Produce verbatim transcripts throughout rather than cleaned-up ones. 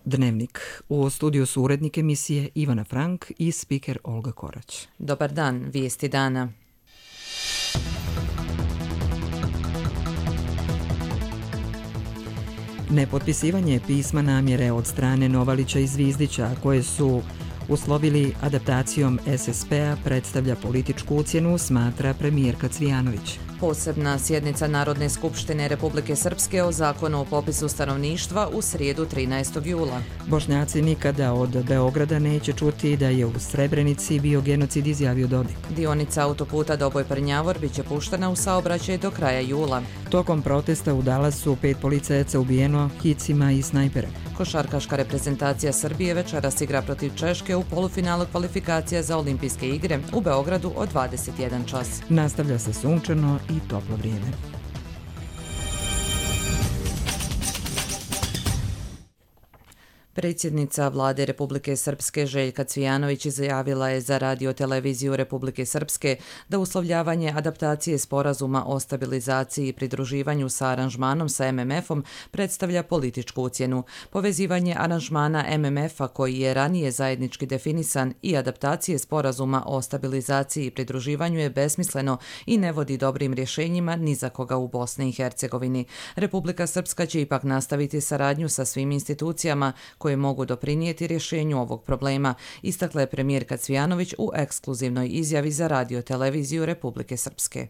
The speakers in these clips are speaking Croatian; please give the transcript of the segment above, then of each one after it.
Dnevnik. U studiju su urednik emisije Ivana Frank i spiker Olga Korać. Dobar dan, vijesti dana. Nepotpisivanje pisma namjere od strane Novalića i Zvizdića, koje su uslovili adaptacijom S S P-a, predstavlja političku ucjenu, smatra premijerka Cvijanović. Posebna sjednica Narodne skupštine Republike Srpske o zakonu o popisu stanovništva u srijedu trinaestog jula. Bošnjaci nikada od Beograda neće čuti da je u Srebrenici bio genocid, izjavio Dodik. Dionica autoputa Doboj-Prnjavor biće puštena u saobraćaj do kraja jula. Tokom protesta u Dallasu pet policajaca ubijeno hicima i snajperem. Košarkaška reprezentacija Srbije večeras igra protiv Češke u polufinalu kvalifikacija za olimpijske igre u Beogradu od dvadeset jedan čas. Nastavlja se sunčano i toplo vrijeme. Predsjednica Vlade Republike Srpske Željka Cvijanović izjavila je za radio-televiziju Republike Srpske da uslovljavanje adaptacije sporazuma o stabilizaciji i pridruživanju sa aranžmanom sa M M F-om predstavlja političku ucjenu. Povezivanje aranžmana M M F-a, koji je ranije zajednički definisan, i adaptacije sporazuma o stabilizaciji i pridruživanju je besmisleno i ne vodi dobrim rješenjima ni za koga u Bosni i Hercegovini. Republika Srpska će ipak nastaviti saradnju sa svim institucijama koje mogu doprinijeti rješenju ovog problema, istakla je premijerka Cvijanović u ekskluzivnoj izjavi za radio-televiziju Republike Srpske.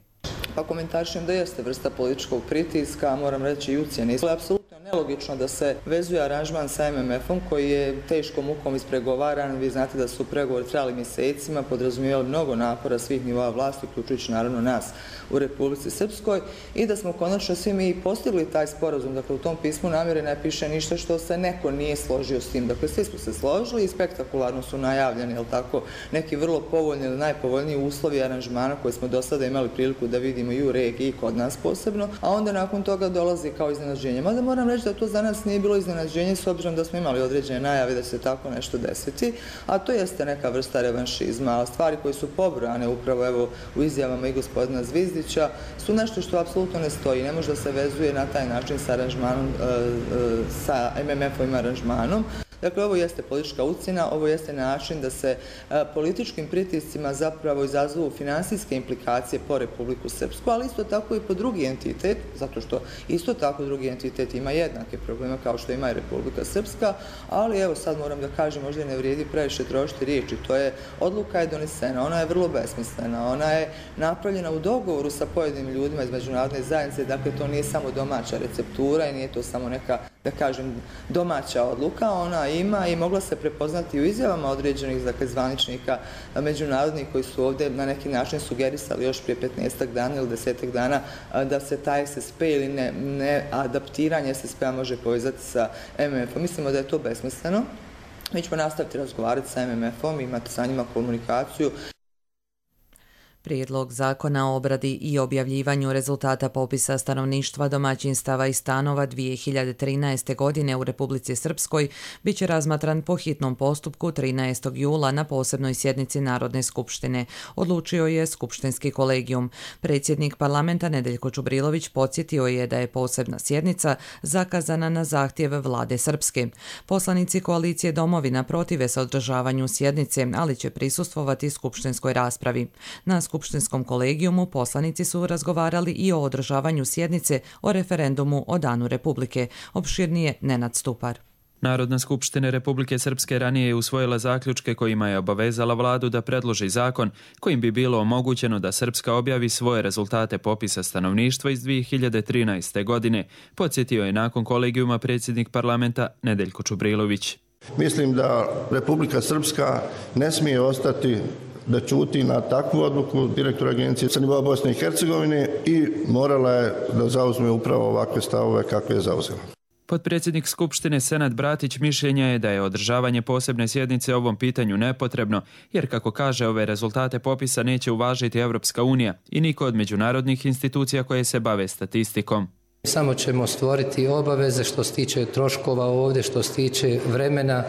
Pa komentarišem da jeste vrsta političkog pritiska, moram reći i ucjene. Apsolutno je nelogično da se vezuje aranžman sa M M F-om koji je teškom mukom ispregovaran. Vi znate da su pregovori trajali mjesecima, podrazumijevali mnogo napora svih nivoa vlasti, uključujući naravno nas u Republici Srpskoj, i da smo konačno svi mi postigli taj sporazum. Dakle, u tom pismu namjere ne piše ništa što se neko nije složio s tim. Dakle, svi smo se složili i spektakularno su najavljeni, jel tako, neki vrlo povoljni ili najpovoljniji uslovi aranžmana koje smo do sada imali priliku da vidimo i u regiji i kod nas posebno, a onda nakon toga dolazi kao iznenađenje. Mada moram reći da to za nas nije bilo iznenađenje s obzirom da smo imali određene najave da će se tako nešto desiti, a to jeste neka vrsta revanšizma, a stvari koje su pobrojane upravo evo u izjavama i gospodina Zvizdića su nešto što apsolutno ne stoji, ne može da se vezuje na taj način sa aranžmanom, sa M M F-ovim aranžmanom. Dakle, ovo jeste politička ucjena, ovo jeste način da se a, političkim pritiscima zapravo izazovu finansijske implikacije po Republiku Srpsku, ali isto tako i po drugi entitet, zato što isto tako drugi entitet ima jednake probleme kao što ima i Republika Srpska, ali evo sad moram da kažem, možda ne vrijedi previše trošiti riječi, to je odluka je donesena, ona je vrlo besmislena, ona je napravljena u dogovoru sa pojedinim ljudima iz međunarodne zajednice, dakle to nije samo domaća receptura i nije to samo neka, da kažem, domaća odluka, ona ima i mogla se prepoznati u izjavama određenih, dakle, zvaničnika međunarodnih koji su ovdje na neki način sugerisali još prije petnaestak dana ili desetak dana da se taj S S P ili ne, ne adaptiranje S S P-a može povezati sa M M F-om. Mislimo da je to besmisleno. Mi ćemo nastaviti razgovarati sa M M F-om, imati sa njima komunikaciju. Prijedlog zakona o obradi i objavljivanju rezultata popisa stanovništva, domaćinstava i stanova dvije hiljade trinaeste. godine u Republici Srpskoj bit će razmatran po hitnom postupku trinaestog jula na posebnoj sjednici Narodne skupštine, odlučio je Skupštinski kolegijum. Predsjednik parlamenta Nedeljko Čubrilović podsjetio je da je posebna sjednica zakazana na zahtjev Vlade Srpske. Poslanici koalicije Domovina protive se održavanju sjednice, ali će prisustvovati skupštinskoj raspravi. Na Skupštinskom kolegijumu poslanici su razgovarali i o održavanju sjednice o referendumu o Danu Republike. Opširnije Nenad Stupar. Narodna skupština Republike Srpske ranije je usvojila zaključke kojima je obavezala vladu da predloži zakon kojim bi bilo omogućeno da Srpska objavi svoje rezultate popisa stanovništva iz dvije hiljade trinaeste. godine, podsjetio je nakon kolegijuma predsjednik parlamenta Nedeljko Čubrilović. Mislim da Republika Srpska ne smije ostati da ćuti na takvu odluku direktora agencije sa nivoa Bosne i Hercegovine i morala je da zauzme upravo ovakve stavove kakve je zauzela. Potpredsjednik Skupštine Senad Bratić mišljenja je da je održavanje posebne sjednice o ovom pitanju nepotrebno, jer kako kaže, ove rezultate popisa neće uvažiti Evropska unija i niko od međunarodnih institucija koje se bave statistikom. Samo ćemo stvoriti obaveze što se tiče troškova ovdje, što se tiče vremena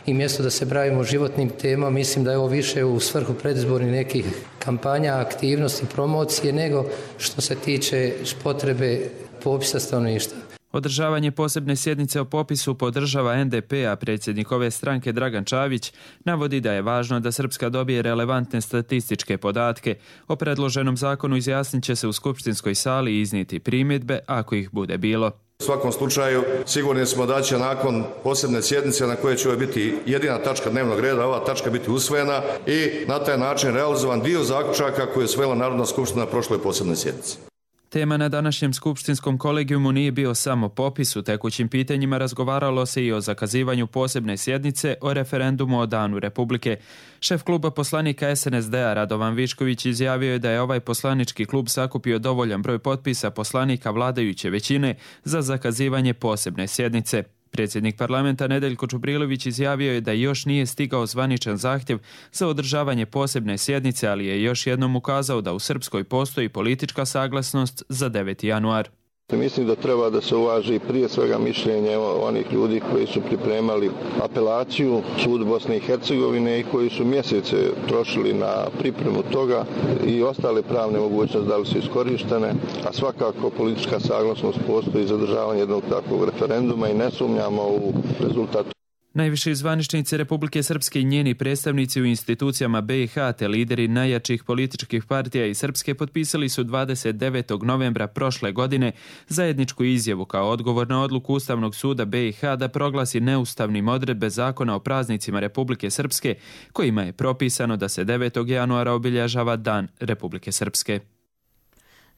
i mjesto da se bavimo životnim temama. Mislim da je ovo više u svrhu predizbornih nekih kampanja, aktivnosti, promocije, nego što se tiče potrebe popisa stanovništva. Održavanje posebne sjednice o popisu podržava en de pe, a predsjednik ove stranke Dragan Čavić navodi da je važno da Srpska dobije relevantne statističke podatke. O predloženom zakonu izjasnit će se u skupštinskoj sali i iznijeti primjedbe ako ih bude bilo. U svakom slučaju sigurni smo da će nakon posebne sjednice na kojoj će biti jedina tačka dnevnog reda, ova tačka biti usvojena i na taj način realizovan dio zaključaka koje je usvojila Narodna skupština na prošloj posebnoj sjednici. Tema na današnjem skupštinskom kolegijumu nije bio samo popis. U tekućim pitanjima razgovaralo se i o zakazivanju posebne sjednice o referendumu o Danu Republike. Šef kluba poslanika es en es de-a Radovan Višković izjavio je da je ovaj poslanički klub sakupio dovoljan broj potpisa poslanika vladajuće većine za zakazivanje posebne sjednice. Predsjednik parlamenta Nedeljko Čubrilović izjavio je da još nije stigao zvaničan zahtjev za održavanje posebne sjednice, ali je još jednom ukazao da u Srpskoj postoji politička saglasnost za deveti januar. Mislim da treba da se uvaži prije svega mišljenje onih ljudi koji su pripremali apelaciju Sud Bosne i Hercegovine i koji su mjesece trošili na pripremu toga i ostale pravne mogućnosti da li su iskorištene, a svakako politička saglasnost postoji za održavanje jednog takvog referenduma i ne sumnjamo u rezultat. Najviši zvaničnici Republike Srpske i njeni predstavnici u institucijama be i ha te lideri najjačih političkih partija i Srpske potpisali su dvadeset devetog novembra prošle godine zajedničku izjavu kao odgovor na odluku Ustavnog suda be i ha da proglasi neustavnim odredbe zakona o praznicima Republike Srpske kojima je propisano da se devetog januara obilježava Dan Republike Srpske.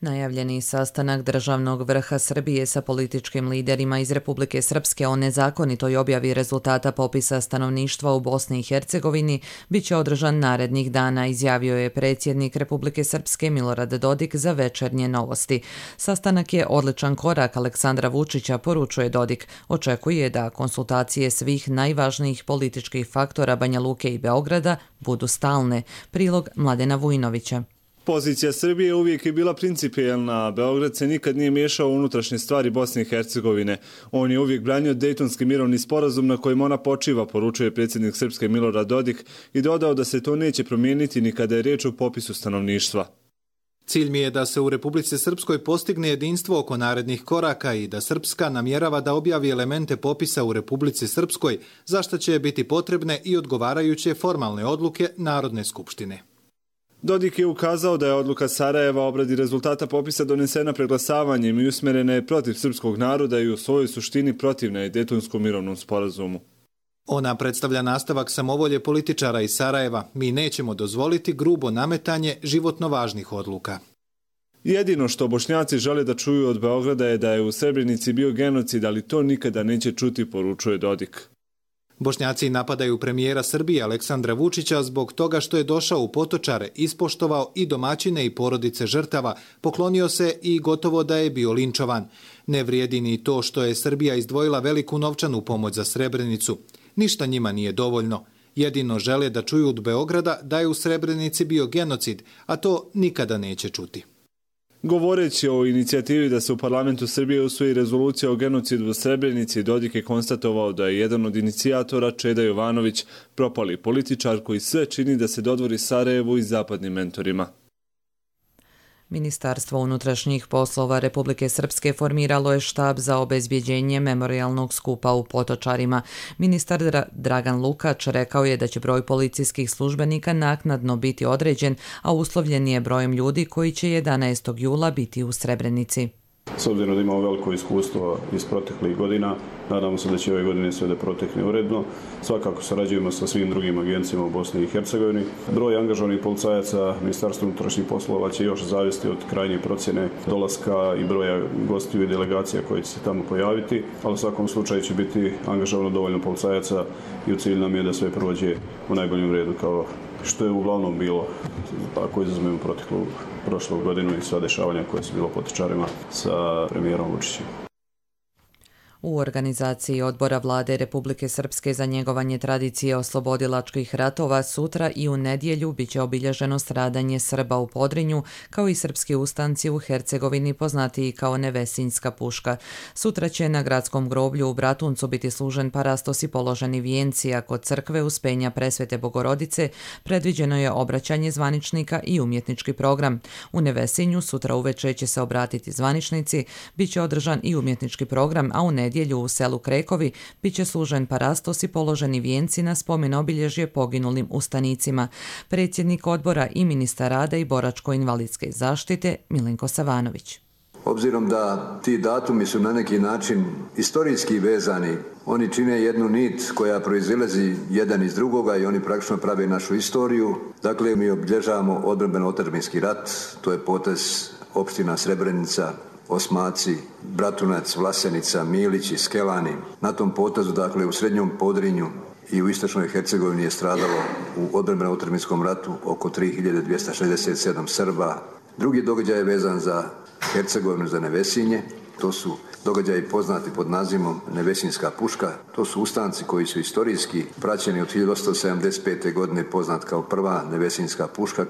Najavljeni sastanak državnog vrha Srbije sa političkim liderima iz Republike Srpske o nezakonitoj objavi rezultata popisa stanovništva u Bosni i Hercegovini biće održan narednih dana, izjavio je predsjednik Republike Srpske Milorad Dodik za Večernje novosti. Sastanak je odličan korak Aleksandra Vučića, poručuje Dodik. Očekuje da konsultacije svih najvažnijih političkih faktora Banja Luke i Beograda budu stalne. Prilog Mladena Vujnovića. Pozicija Srbije uvijek je bila principijelna, a Beograd se nikad nije miješao u unutrašnje stvari Bosne i Hercegovine. On je uvijek branio Dejtonski mirovni sporazum na kojem ona počiva, poručuje predsjednik Srpske Milorad Dodik i dodao da se to neće promijeniti ni kada je riječ o popisu stanovništva. Cilj mi je da se u Republici Srpskoj postigne jedinstvo oko narednih koraka i da Srpska namjerava da objavi elemente popisa u Republici Srpskoj, za što će biti potrebne i odgovarajuće formalne odluke Narodne skupštine. Dodik je ukazao da je odluka Sarajeva o obradi rezultata popisa donesena preglasavanjem i usmjerena je protiv srpskog naroda i u svojoj suštini protivna je Dejtonskom mirovnom sporazumu. Ona predstavlja nastavak samovolje političara iz Sarajeva. Mi nećemo dozvoliti grubo nametanje životno važnih odluka. Jedino što Bošnjaci žele da čuju od Beograda je da je u Srebrenici bio genocid, ali to nikada neće čuti, poručuje Dodik. Bošnjaci napadaju premijera Srbije Aleksandra Vučića zbog toga što je došao u Potočare, ispoštovao i domaćine i porodice žrtava, poklonio se i gotovo da je bio linčovan. Ne vrijedi ni to što je Srbija izdvojila veliku novčanu pomoć za Srebrenicu. Ništa njima nije dovoljno. Jedino žele da čuju od Beograda da je u Srebrenici bio genocid, a to nikada neće čuti. Govoreći o inicijativi da se u parlamentu Srbije usvoji rezolucija o genocidu u Srebrenici, Dodik je konstatovao da je jedan od inicijatora Čeda Jovanović, propali političar koji sve čini da se dodvori Sarajevu i zapadnim mentorima. Ministarstvo unutrašnjih poslova Republike Srpske formiralo je štab za obezbjeđenje memorijalnog skupa u Potočarima. Ministar Dragan Lukač rekao je da će broj policijskih službenika naknadno biti određen, a uslovljen je brojem ljudi koji će jedanaestog jula biti u Srebrenici. S obzirom da imamo veliko iskustvo iz proteklih godina, nadamo se da će ove godine sve da protekne uredno. Svakako sarađujemo sa svim drugim agencijama u Bosni i Hercegovini. Broj angažovanih policajaca Ministarstva unutrašnjih poslova će još zavisiti od krajnje procjene dolaska i broja gostiju i delegacija koji će se tamo pojaviti, ali u svakom slučaju će biti angažovano dovoljno policajaca i u cilju nam je da sve prođe u najboljem redu kao što je uglavnom bilo, ako izuzmemo proteklu prošlu godinu i sva dešavanja koje su bilo Potočarima sa premijerom Vučićem. U organizaciji odbora vlade Republike Srpske za njegovanje tradicije oslobodilačkih ratova sutra i u nedjelju biće obilježeno stradanje Srba u Podrinju, kao i srpski ustanci u Hercegovini poznatiji kao Nevesinjska puška. Sutra će na gradskom groblju u Bratuncu biti služen parastos i položeni vijenci, a kod crkve Uspenja Presvete Bogorodice predviđeno je obraćanje zvaničnika i umjetnički program. U Nevesinju sutra uveče će se obratiti zvaničnici, bit će održan i umjetnički program, a u nedjelju u selu Krekovi bit će služen parastos i položeni vijenci na spomen obilježje poginulim ustanicima. Predsjednik odbora i ministar rada i boračko-invalidske zaštite Milenko Savanović. Obzirom da ti datumi su na neki način istorijski vezani, oni čine jednu nit koja proizilazi jedan iz drugoga i oni praktično prave našu istoriju. Dakle, mi obilježavamo odbrambeno-otadžbinski rat, to je potez opština Srebrenica, Osmaci, Bratunac, Vlasenica, Milić i Skelani. Na tom potezu, dakle, u Srednjom Podrinju i u Istočnoj Hercegovini je stradalo u odbrambeno-otadžbinskom ratu oko tri hiljade dvjesto šezdeset sedam Srba. Drugi događaj je vezan za Hercegovinu, za Nevesinje. To su događaji poznati pod nazivom Nevesinjska puška. To su ustanci koji su istorijski praćeni od hiljadu osamsto sedamdeset pete. godine, poznat kao prva Nevesinjska puška.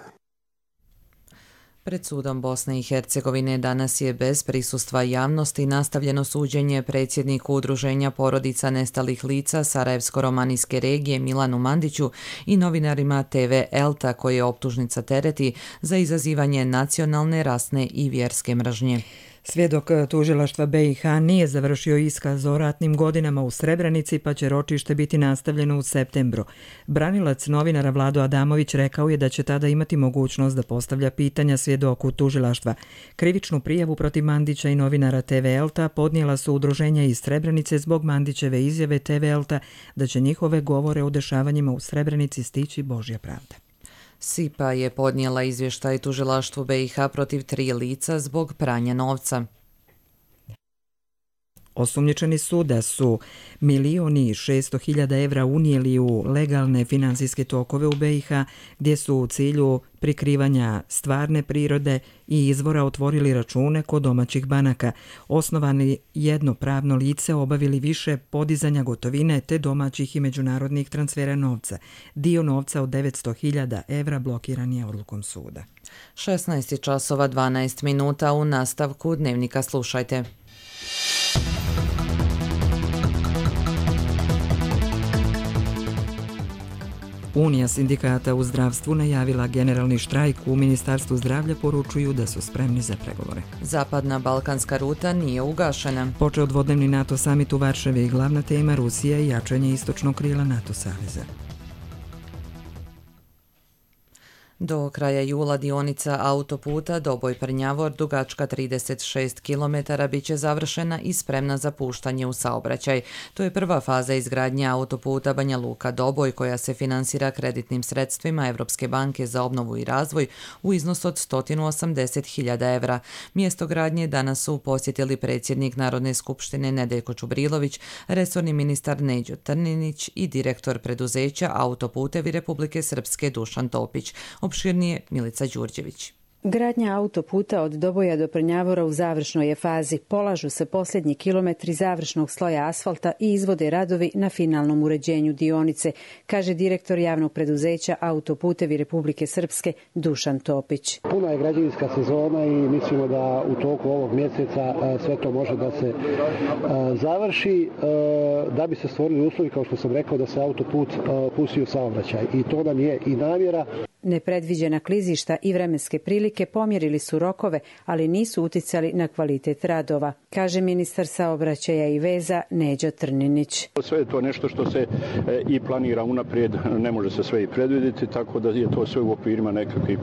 Pred sudom Bosne i Hercegovine danas je bez prisustva javnosti nastavljeno suđenje predsjedniku Udruženja porodica nestalih lica Sarajevsko-romanijske regije Milanu Mandiću i novinarima te ve Elta koje optužnica tereti za izazivanje nacionalne, rasne i vjerske mržnje. Svjedok tužilaštva be i ha nije završio iskaz o ratnim godinama u Srebrenici, pa će ročište biti nastavljeno u septembru. Branilac novinara Vlado Adamović rekao je da će tada imati mogućnost da postavlja pitanja svjedoku tužilaštva. Krivičnu prijavu protiv Mandića i novinara te ve Elta podnijela su udruženja iz Srebrenice zbog Mandićeve izjave te ve Elta da će njihove govore o dešavanjima u Srebrenici stići Božja pravda. SIPA je podnijela izvještaj tužilaštvu be i ha protiv tri lica zbog pranja novca. Osumnjičeni su da su milioni i šesto hiljada evra unijeli u legalne finansijske tokove u be i ha, gdje su u cilju prikrivanja stvarne prirode i izvora otvorili račune kod domaćih banaka, osnovani jedno pravno lice, obavili više podizanja gotovine te domaćih i međunarodnih transfera novca. Dio novca od devetsto hiljada evra blokiran je odlukom suda. šesnaest časova dvanaest minuta, u nastavku Dnevnika slušajte. Unija sindikata u zdravstvu najavila generalni štrajk. U Ministarstvu zdravlja poručuju da su spremni za pregovore. Zapadna balkanska ruta nije ugašena. Počeo dvodnevni NATO samit u Varšavi i glavna tema Rusija i jačanje istočnog krila NATO saveza. Do kraja jula dionica autoputa Doboj-Prnjavor dugačka trideset šest kilometara bit će završena i spremna za puštanje u saobraćaj. To je prva faza izgradnje autoputa Banja Luka-Doboj koja se finansira kreditnim sredstvima Evropske banke za obnovu i razvoj u iznosu od sto osamdeset hiljada evra. Mjesto gradnje danas su posjetili predsjednik Narodne skupštine Nedeljko Čubrilović, resorni ministar Neđo Trninić i direktor preduzeća Autoputevi Republike Srpske Dušan Topić. Opširnije Milica Đurđević. Gradnja autoputa od Doboja do Prnjavora u završnoj je fazi. Polažu se posljednji kilometri završnog sloja asfalta i izvode radovi na finalnom uređenju dionice, kaže direktor javnog preduzeća Autoputevi Republike Srpske Dušan Topić. Puna je građevinska sezona i mislimo da u toku ovog mjeseca sve to može da se završi, da bi se stvorili uslovi, kao što sam rekao, da se autoput pusti u saobraćaj. I to nam je i namjera. Nepredviđena klizišta i vremenske prilike pomjerili su rokove, ali nisu uticali na kvalitet radova, kaže ministar saobraćaja i veza Neđo Trninić. Sve je to nešto što se i planira unaprijed, ne može se sve i predvidjeti, tako da je to sve u okvirima nekakvih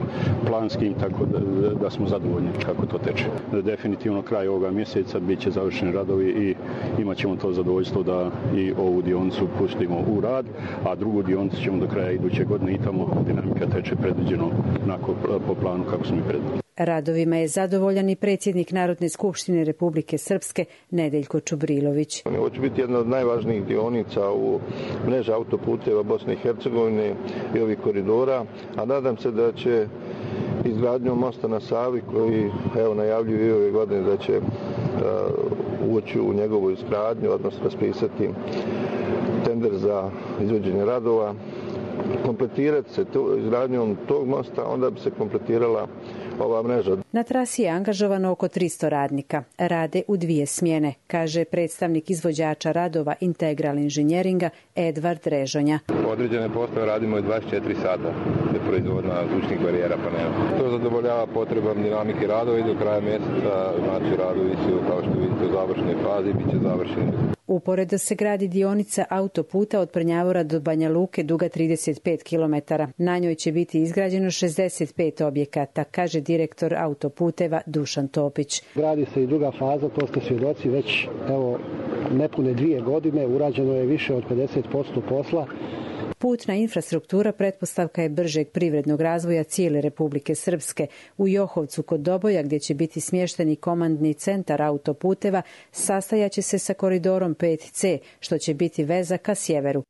planskim, tako da, da smo zadovoljni kako to teče. Definitivno kraj ovoga mjeseca bit će završeni radovi i imat ćemo to zadovoljstvo da i ovu dionicu pustimo u rad, a drugu dionicu ćemo do kraja iduće godine i tamo dinamika teče predviđeno onako po planu kako smo i predvidjeli. Radovima je zadovoljan i predsjednik Narodne skupštine Republike Srpske Nedeljko Čubrilović. Ovo će biti jedna od najvažnijih dionica u mreži autoputeva Bosne i Hercegovine i ovih koridora, a nadam se da će izgradnjom mosta na Savi, koji evo najavljuju i ove godine da će ući u njegovu izgradnju, odnosno raspisati tender za izvođenje radova, kompletirati se izgradnjom tog mosta, onda bi se kompletirala ova mreža. Na trasi je angažovano oko tristo radnika. Rade u dvije smjene, kaže predstavnik izvođača radova Integral inženjeringa Edvard Režonja. Određene poslove radimo i dvadeset četiri sata za proizvodna zvučnih barijera panela. To zadovoljava potrebam dinamike radova i do kraja mjeseca, znači radovi su, kao što vidite, u završnoj fazi, bit će završeni. Uporedo se gradi dionica autoputa od Prnjavora do Banja Luke duga trideset pet kilometara. Na njoj će biti izgrađeno šezdeset pet objekata, kaže direktor autoputeva Dušan Topić. Gradi se i druga faza, to ste svjedoci već evo nepune dvije godine, urađeno je više od pedeset posto posla. Putna infrastruktura pretpostavka je bržeg privrednog razvoja cijele Republike Srpske. U Johovcu kod Doboja, gdje će biti smješteni komandni centar autoputeva, sastajaće se sa koridorom pet ce, što će biti veza ka sjeveru.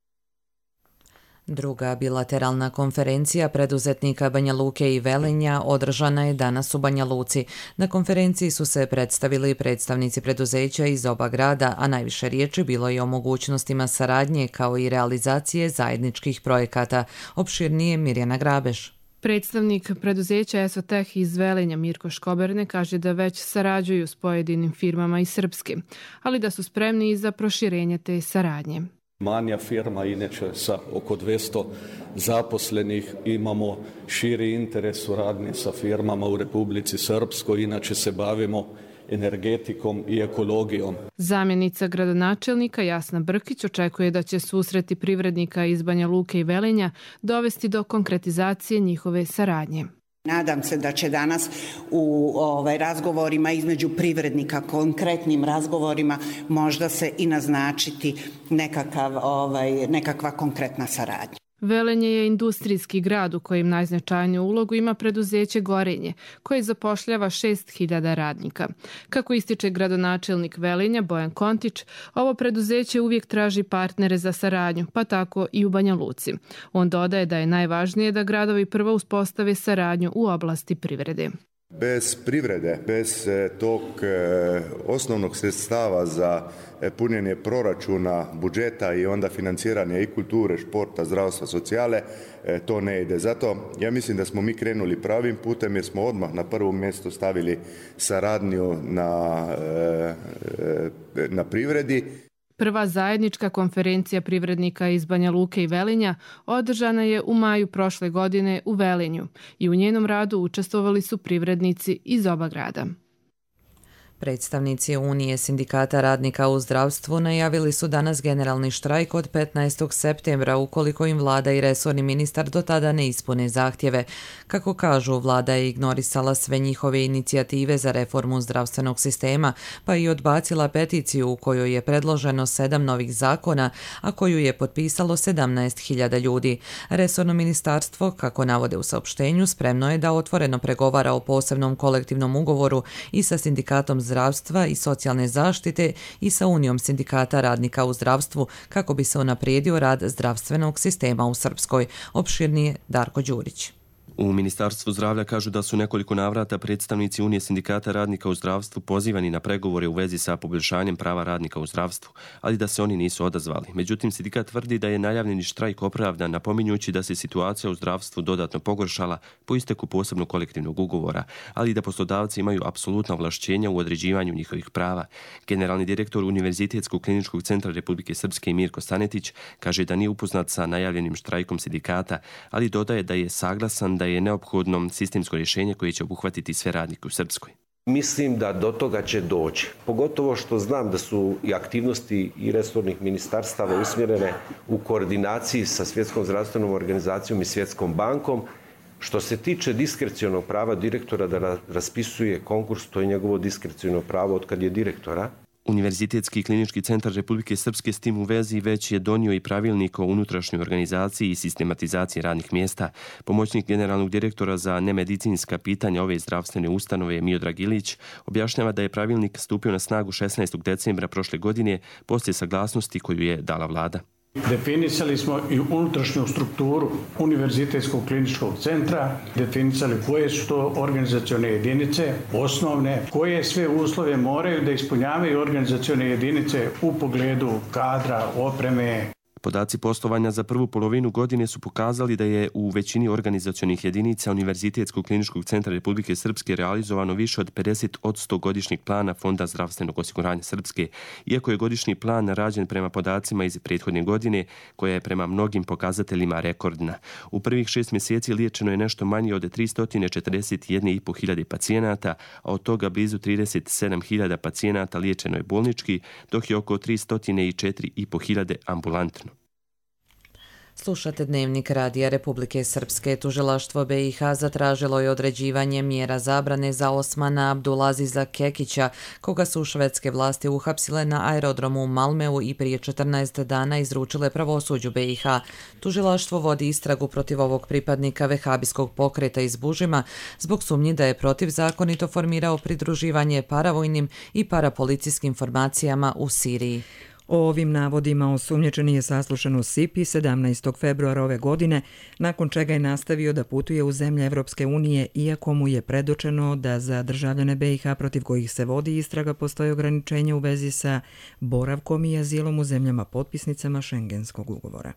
Druga bilateralna konferencija preduzetnika Banja Luke i Velenja održana je danas u Banja Luci. Na konferenciji su se predstavili predstavnici preduzeća iz oba grada, a najviše riječi bilo je o mogućnostima saradnje kao i realizacije zajedničkih projekata. Opširnije Mirjana Grabeš. Predstavnik preduzeća Esoteh iz Velenja Mirko Škoberne kaže da već sarađuju s pojedinim firmama iz Srpske, ali da su spremni i za proširenje te saradnje. Manja firma, inače sa oko dvjesto zaposlenih, imamo širi interes suradnje sa firmama u Republici Srpskoj, inače se bavimo energetikom i ekologijom. Zamjenica gradonačelnika Jasna Brkić očekuje da će susreti privrednika iz Banja Luke i Velenja dovesti do konkretizacije njihove saradnje. Nadam se da će danas u ovaj, razgovorima između privrednika, konkretnim razgovorima, možda se i naznačiti nekakav, ovaj, nekakva konkretna saradnja. Velenje je industrijski grad u kojem najznačajniju ulogu ima preduzeće Gorenje, koje zapošljava šest hiljada radnika. Kako ističe gradonačelnik Velenja Bojan Kontić, ovo preduzeće uvijek traži partnere za saradnju, pa tako i u Banja Luci. On dodaje da je najvažnije da gradovi prvo uspostave saradnju u oblasti privrede. Bez privrede, bez tog e, osnovnog sredstava za punjenje proračuna, budžeta i onda financiranje i kulture, športa, zdravstva, socijale, e, to ne ide. Zato ja mislim da smo mi krenuli pravim putem jer smo odmah na prvo mjesto stavili saradnju na, e, e, na privredi. Prva zajednička konferencija privrednika iz Banja Luke i Velenja održana je u maju prošle godine u Velenju i u njenom radu učestvovali su privrednici iz oba grada. Predstavnici Unije sindikata radnika u zdravstvu najavili su danas generalni štrajk od petnaestog septembra ukoliko im vlada i resorni ministar do tada ne ispune zahtjeve. Kako kažu, vlada je ignorisala sve njihove inicijative za reformu zdravstvenog sistema, pa i odbacila peticiju u kojoj je predloženo sedam novih zakona, a koju je potpisalo sedamnaest hiljada ljudi. Resorno ministarstvo, kako navode u saopštenju, spremno je da otvoreno pregovara o posebnom kolektivnom ugovoru i sa sindikatom zdravstva zdravstva i socijalne zaštite i sa Unijom sindikata radnika u zdravstvu kako bi se unaprijedio rad zdravstvenog sistema u Srpskoj. Opširnije Darko Đurić. U Ministarstvu zdravlja kažu da su nekoliko navrata predstavnici Unije sindikata radnika u zdravstvu pozivani na pregovore u vezi sa poboljšanjem prava radnika u zdravstvu, ali da se oni nisu odazvali. Međutim, sindikat tvrdi da je najavljeni štrajk opravdan, napominjući da se situacija u zdravstvu dodatno pogoršala po isteku posebnog kolektivnog ugovora, ali i da poslodavci imaju apsolutna ovlašćenja u određivanju njihovih prava. Generalni direktor Univerzitetskog kliničkog centra Republike Srpske Mirko Stanetić kaže da nije upoznat sa najavljenim štrajkom sindikata, ali dodaje da je saglasan da je neophodno sistemsko rješenje koje će obuhvatiti sve radnike u Srpskoj. Mislim da do toga će doći. Pogotovo što znam da su i aktivnosti i resornih ministarstava usmjerene u koordinaciji sa Svjetskom zdravstvenom organizacijom i Svjetskom bankom. Što se tiče diskrecionog prava direktora da raspisuje konkurs, to je njegovo diskreciono pravo od kad je direktora. Univerzitetski klinički centar Republike Srpske s tim u vezi već je donio i pravilnik o unutrašnjoj organizaciji i sistematizaciji radnih mjesta. Pomoćnik generalnog direktora za nemedicinska pitanja ove zdravstvene ustanove Miodrag Ilić objašnjava da je pravilnik stupio na snagu šesnaestog decembra prošle godine poslije saglasnosti koju je dala vlada. Definisali smo i unutrašnju strukturu Univerzitetskog kliničkog centra, definisali koje su to organizacione jedinice, osnovne, koje sve uslove moraju da ispunjavaju organizacione jedinice u pogledu kadra, opreme. Podaci poslovanja za prvu polovinu godine su pokazali da je u većini organizacionih jedinica Univerzitetskog kliničkog centra Republike Srpske realizovano više od pedeset posto godišnjeg plana Fonda zdravstvenog osiguranja Srpske, iako je godišnji plan rađen prema podacima iz prethodne godine, koja je prema mnogim pokazateljima rekordna. U prvih šest mjeseci liječeno je nešto manje od tristo četrdeset jedna i po hiljade pacijenata, a od toga blizu trideset sedam hiljada pacijenata liječeno je bolnički, dok je oko tristo četiri i po hiljade ambulantno. Slušate Dnevnik Radija Republike Srpske. Tužilaštvo B i H zatražilo je određivanje mjera zabrane za Osmana Abdulaziza Kekića, koga su švedske vlasti uhapsile na aerodromu u Malmeu i prije četrnaest dana izručile pravosuđu B i H. Tužilaštvo vodi istragu protiv ovog pripadnika vehabijskog pokreta iz Bužima zbog sumnji da je protivzakonito formirao pridruživanje paravojnim i parapolicijskim formacijama u Siriji. O ovim navodima osumnjičeni je saslušan u Sipi sedamnaestog februara ove godine, nakon čega je nastavio da putuje u zemlje Evropske unije, iako mu je predočeno da za državljane B i H protiv kojih se vodi istraga postoje ograničenja u vezi sa boravkom i azilom u zemljama potpisnicama Šengenskog ugovora.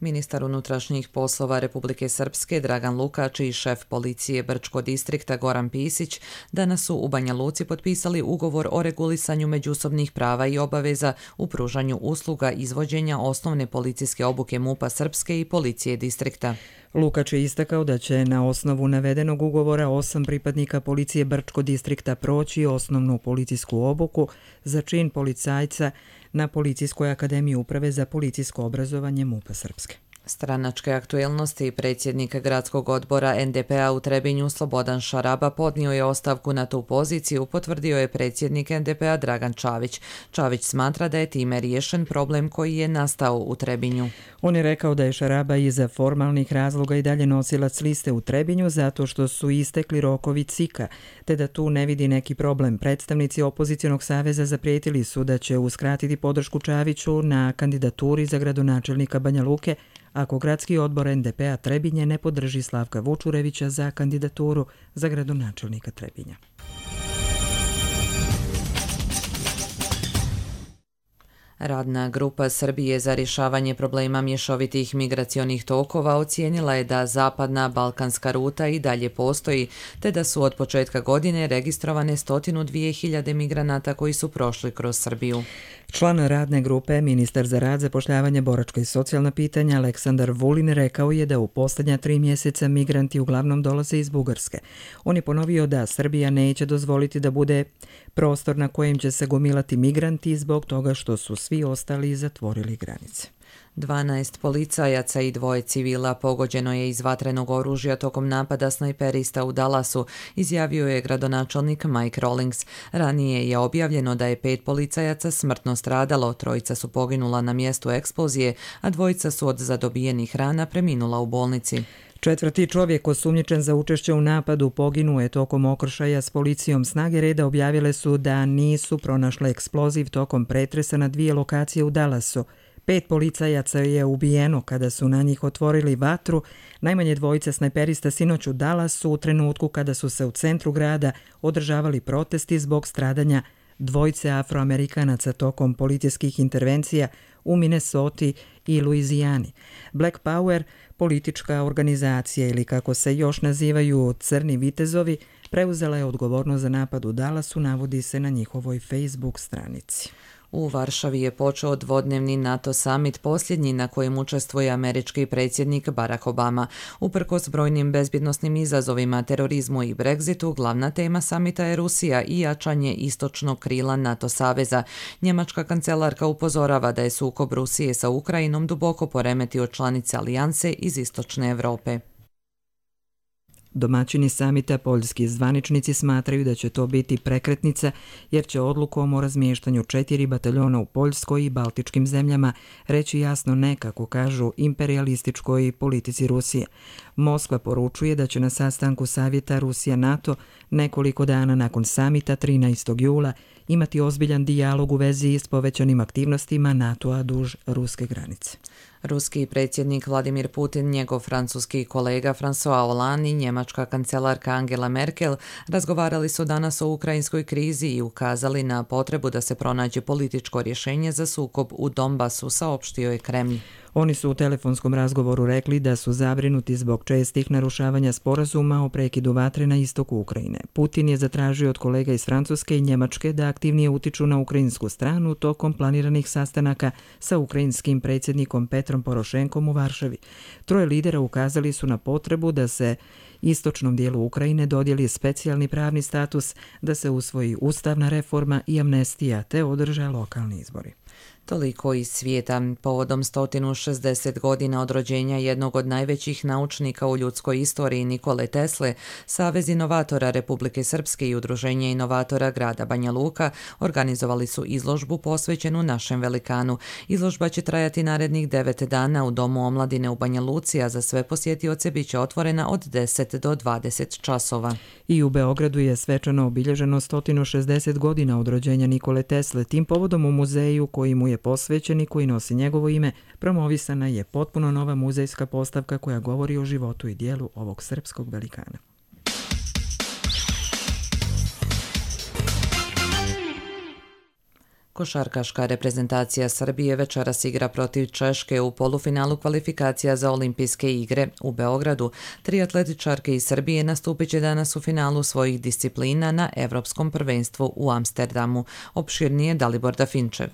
Ministar unutrašnjih poslova Republike Srpske Dragan Lukač i šef policije Brčko distrikta Goran Pisić danas su u Banja Luci potpisali ugovor o regulisanju međusobnih prava i obaveza u pružanju usluga izvođenja osnovne policijske obuke MUP-a Srpske i policije distrikta. Lukač je istakao da će na osnovu navedenog ugovora osam pripadnika policije Brčko distrikta proći osnovnu policijsku obuku za čin policajca na Policijskoj akademiji uprave za policijsko obrazovanje MUP-a Srpske. Stranačke aktuelnosti. Predsjednik gradskog odbora en de pe a u Trebinju Slobodan Šaraba podnio je ostavku na tu poziciju, potvrdio je predsjednik en de pe a Dragan Čavić. Čavić smatra da je time riješen problem koji je nastao u Trebinju. On je rekao da je Šaraba iza formalnih razloga i dalje nosilac liste u Trebinju zato što su istekli rokovi C I K-a, te da tu ne vidi neki problem. Predstavnici opozicionog saveza zaprijetili su da će uskratiti podršku Čaviću na kandidaturi za gradonačelnika Banja Luke ako gradski odbor en de pe a Trebinje ne podrži Slavka Vučurevića za kandidaturu za gradonačelnika Trebinja. Radna grupa Srbije za rješavanje problema mješovitih migracionih tokova ocijenila je da zapadna balkanska ruta i dalje postoji, te da su od početka godine registrovane sto dvije hiljade migranata koji su prošli kroz Srbiju. Član radne grupe, ministar za rad, zapošljavanje, boračka i socijalna pitanja Aleksandar Vulin rekao je da u posljednja tri mjeseca migranti uglavnom dolaze iz Bugarske. On je ponovio da Srbija neće dozvoliti da bude prostor na kojem će se gomilati migranti zbog toga što su svi ostali zatvorili granice. dvanaest policajaca i dvoje civila pogođeno je iz vatrenog oružja tokom napada snajperista u Dallasu, izjavio je gradonačelnik Mike Rawlings. Ranije je objavljeno da je pet policajaca smrtno stradalo, trojica su poginula na mjestu eksplozije, a dvojica su od zadobijenih rana preminula u bolnici. Četvrti čovjek osumnjičen za učešće u napadu poginuo je tokom okršaja s policijom. Snage reda objavile su da nisu pronašle eksploziv tokom pretresa na dvije lokacije u Dallasu. Pet policajaca je ubijeno kada su na njih otvorili vatru. Najmanje dvojica snajperista sinoć u Dallasu u trenutku kada su se u centru grada održavali protesti zbog stradanja dvojice Afroamerikanaca tokom policijskih intervencija u Minnesoti i Luizijani. Black Power, politička organizacija ili kako se još nazivaju Crni vitezovi, preuzela je odgovornost za napad u Dallasu, navodi se na njihovoj Facebook stranici. U Varšavi je počeo dvodnevni NATO summit, posljednji na kojem učestvuje američki predsjednik Barack Obama. Uprkos brojnim bezbjednosnim izazovima, terorizmu i Brexitu, glavna tema samita je Rusija i jačanje istočnog krila NATO saveza. Njemačka kancelarka upozorava da je sukob Rusije sa Ukrajinom duboko poremetio članice alijanse iz istočne Europe. Domaćini samita, poljski zvaničnici, smatraju da će to biti prekretnica jer će odlukom o razmještanju četiri bataljona u Poljskoj i Baltičkim zemljama reći jasno ne, kako kažu, imperialističkoj politici Rusije. Moskva poručuje da će na sastanku savjeta Rusija-NATO nekoliko dana nakon samita trinaestog jula imati ozbiljan dijalog u vezi s povećanim aktivnostima NATO-a duž ruske granice. Ruski predsjednik Vladimir Putin, njegov francuski kolega François Hollande i njemačka kancelarka Angela Merkel razgovarali su danas o ukrajinskoj krizi i ukazali na potrebu da se pronađe političko rješenje za sukob u Donbasu, saopštio je Kremlj. Oni su u telefonskom razgovoru rekli da su zabrinuti zbog čestih narušavanja sporazuma o prekidu vatre na istoku Ukrajine. Putin je zatražio od kolega iz Francuske i Njemačke da aktivnije utiču na ukrajinsku stranu tokom planiranih sastanaka sa ukrajinskim predsjednikom Petrom Porošenkom u Varšavi. Troje lidera ukazali su na potrebu da se istočnom dijelu Ukrajine dodijeli specijalni pravni status, da se usvoji ustavna reforma i amnestija te održe lokalni izbori. Toliko iz svijeta. Povodom sto šezdeset godina od rođenja jednog od najvećih naučnika u ljudskoj istoriji Nikole Tesle, Savez inovatora Republike Srpske i Udruženje inovatora grada Banja Luka organizovali su izložbu posvećenu našem velikanu. Izložba će trajati narednih devet dana u Domu omladine u Banja Luci, a za sve posjetioce bit će otvorena od deset do dvadeset časova. I u Beogradu je svečano obilježeno sto šezdeset godina od rođenja Nikole Tesle. Tim povodom u muzeju koji mu je posvećen i koji nosi njegovo ime, promovisana je potpuno nova muzejska postavka koja govori o životu i dijelu ovog srpskog velikana. Košarkaška reprezentacija Srbije večeras igra protiv Češke u polufinalu kvalifikacija za olimpijske igre u Beogradu. Tri atletičarke iz Srbije nastupit će danas u finalu svojih disciplina na Evropskom prvenstvu u Amsterdamu. Opširnije Dalibor Dafinčev.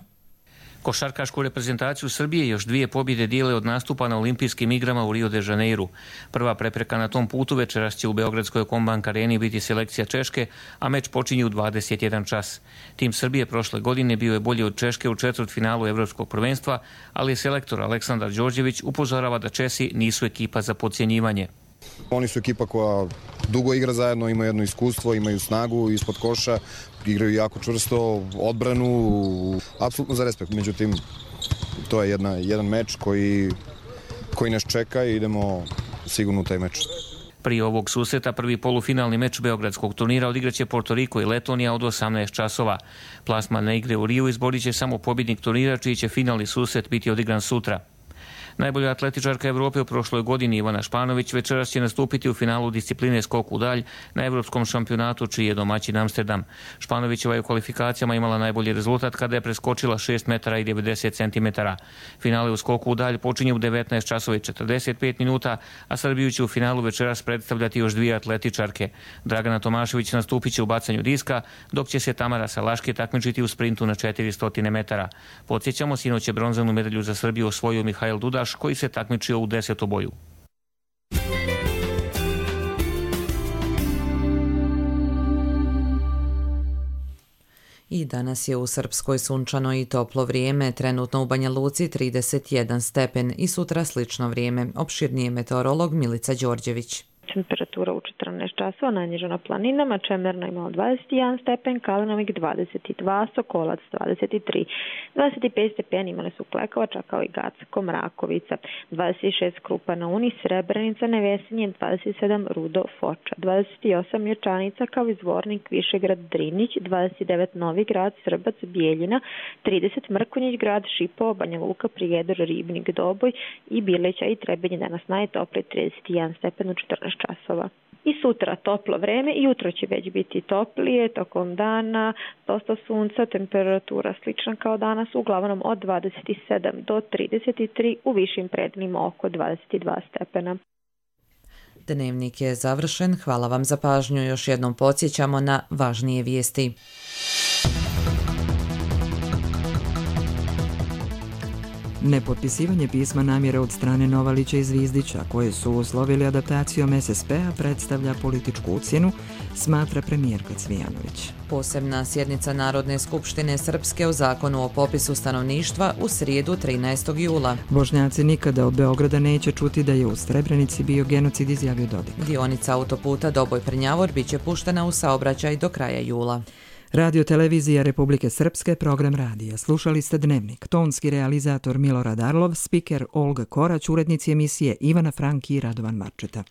Košarkašku reprezentaciju Srbije još dvije pobjede dijele od nastupa na olimpijskim igrama u Rio de Janeiru. Prva prepreka na tom putu večeras će u Beogradskoj Kombank areni biti selekcija Češke, a meč počinje u dvadeset jedan čas. Tim Srbije prošle godine bio je bolji od Češke u četvrtfinalu Evropskog prvenstva, ali selektor Aleksandar Đorđević upozorava da Česi nisu ekipa za podcjenjivanje. Oni su ekipa koja dugo igra zajedno, imaju jedno iskustvo, imaju snagu ispod koša, igraju jako čvrsto, odbranu, apsolutno za respekt. Međutim, to je jedna, jedan meč koji, koji nas čeka i idemo sigurno u taj meč. Prije ovog susreta prvi polufinalni meč beogradskog turnira odigraće Porto Riko i Letonija od osamnaest časova. Plasman na igre u Riju izborit će samo pobjednik turnira, čiji će finalni susret biti odigran sutra. Najbolja atletičarka Evrope u prošloj godini Ivana Španović večeras će nastupiti u finalu discipline skok u dalj na Evropskom šampionatu, čiji je domaćin Amsterdam. Španovićeva je u kvalifikacijama imala najbolji rezultat kada je preskočila šest metara i devedeset centimetara. Finale u skoku u dalj počinje u devetnaest časova i četrdeset pet minuta, a Srbiju će u finalu večeras predstavljati još dvije atletičarke. Dragana Tomašević nastupit će u bacanju diska, dok će se Tamara Salaške takmičiti u sprintu na četiristo metara. Podsjećamo, sinoć je bronzanu medalju za Srbiju osvojio Mihajl Duda, koji se takmičio u desetoboju. I danas je u Srpskoj sunčano i toplo vrijeme, trenutno u Banja Luci trideset jedan stepen i sutra slično vrijeme. Opširnije meteorolog Milica Đorđević. Temperatura u četrnaest časova najniža na planinama, Čemerna imala dvadeset jedan stepen, Kalinovik dvadeset dva, Sokolac dvadeset tri, dvadeset pet stepeni imali su Klekovača kao i Gacko, Mrakovica, dvadeset šest Krupa na Uni, Srebrenica, Nevesinje, dvadeset sedam Rudo, Foča, dvadeset osam Ječanica kao i Zvornik, Višegrad, Drinić, dvadeset devet Novi Grad, Srbac, Bijeljina, trideset Mrkonjić grad, Šipovo, Banja Luka, Prijedor, Ribnik, Doboj i Birleća i Trebinje. Danas najtoplije trideset jedan stepen u četrnaest časova. I sutra toplo vreme, jutro će već biti toplije, tokom dana dosta sunca, temperatura slična kao danas, uglavnom od dvadeset sedam do trideset tri, u višim predelima oko dvadeset dva stepena. Dnevnik je završen, hvala vam za pažnju, još jednom podsjećamo na važnije vijesti. Nepotpisivanje pisma namjere od strane Novalića i Zvizdića, koje su uslovili adaptacijom es es pe-a, predstavlja političku ucjenu, smatra premijerka Cvijanović. Posebna sjednica Narodne skupštine Srpske o zakonu o popisu stanovništva u srijedu trinaestog jula. Bošnjaci nikada od Beograda neće čuti da je u Srebrenici bio genocid, izjavio Dodik. Dionica autoputa Doboj-Prnjavor biće puštena u saobraćaj do kraja jula. Radio televizija Republike Srpske, program radija. Slušali ste Dnevnik. Tonski realizator Milorad Arlov, spiker Olga Korać, urednici emisije Ivana Franki i Radovan Marčeta.